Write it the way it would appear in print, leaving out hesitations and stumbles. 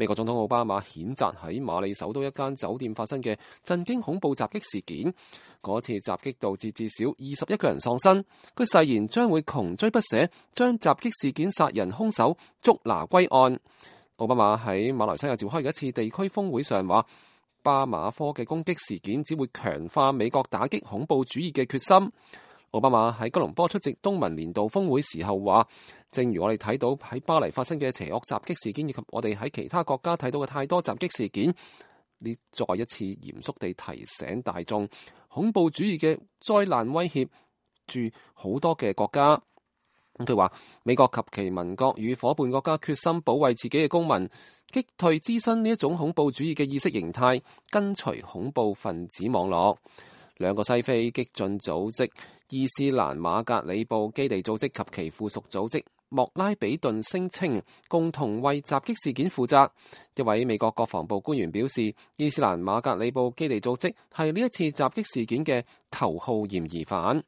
美國總統奧巴馬譴責喺馬里首都一間酒店發生嘅震驚恐怖襲擊事件，嗰次襲擊導致至少21個人喪生。佢誓言將會窮追不捨，將襲擊事件殺人兇手捉拿歸案。奧巴馬喺馬來西亞召開嘅一次地區峰會上話，巴馬科嘅攻擊事件只會強化美國打擊恐怖主義嘅決心。奧巴馬喺吉隆坡出席東盟年度峰會時候話，正如我哋睇到喺巴黎發生嘅邪惡襲擊事件，以及我哋喺其他國家睇到嘅太多襲擊事件，你再一次嚴肅地提醒大眾，恐怖主義嘅災難威脅住好多嘅國家。佢話美國及其盟國與夥伴國家決心保衛自己嘅公民，擊退滋生呢一種恐怖主義嘅意識形態，根除恐怖分子網絡。兩個西非激進組織伊斯蘭馬格里布基地組織及其附屬組織莫拉比頓聲稱共同為襲擊事件負責。一位美國國防部官員表示，伊斯蘭馬格里布基地組織係呢一次襲擊事件嘅頭號嫌疑犯。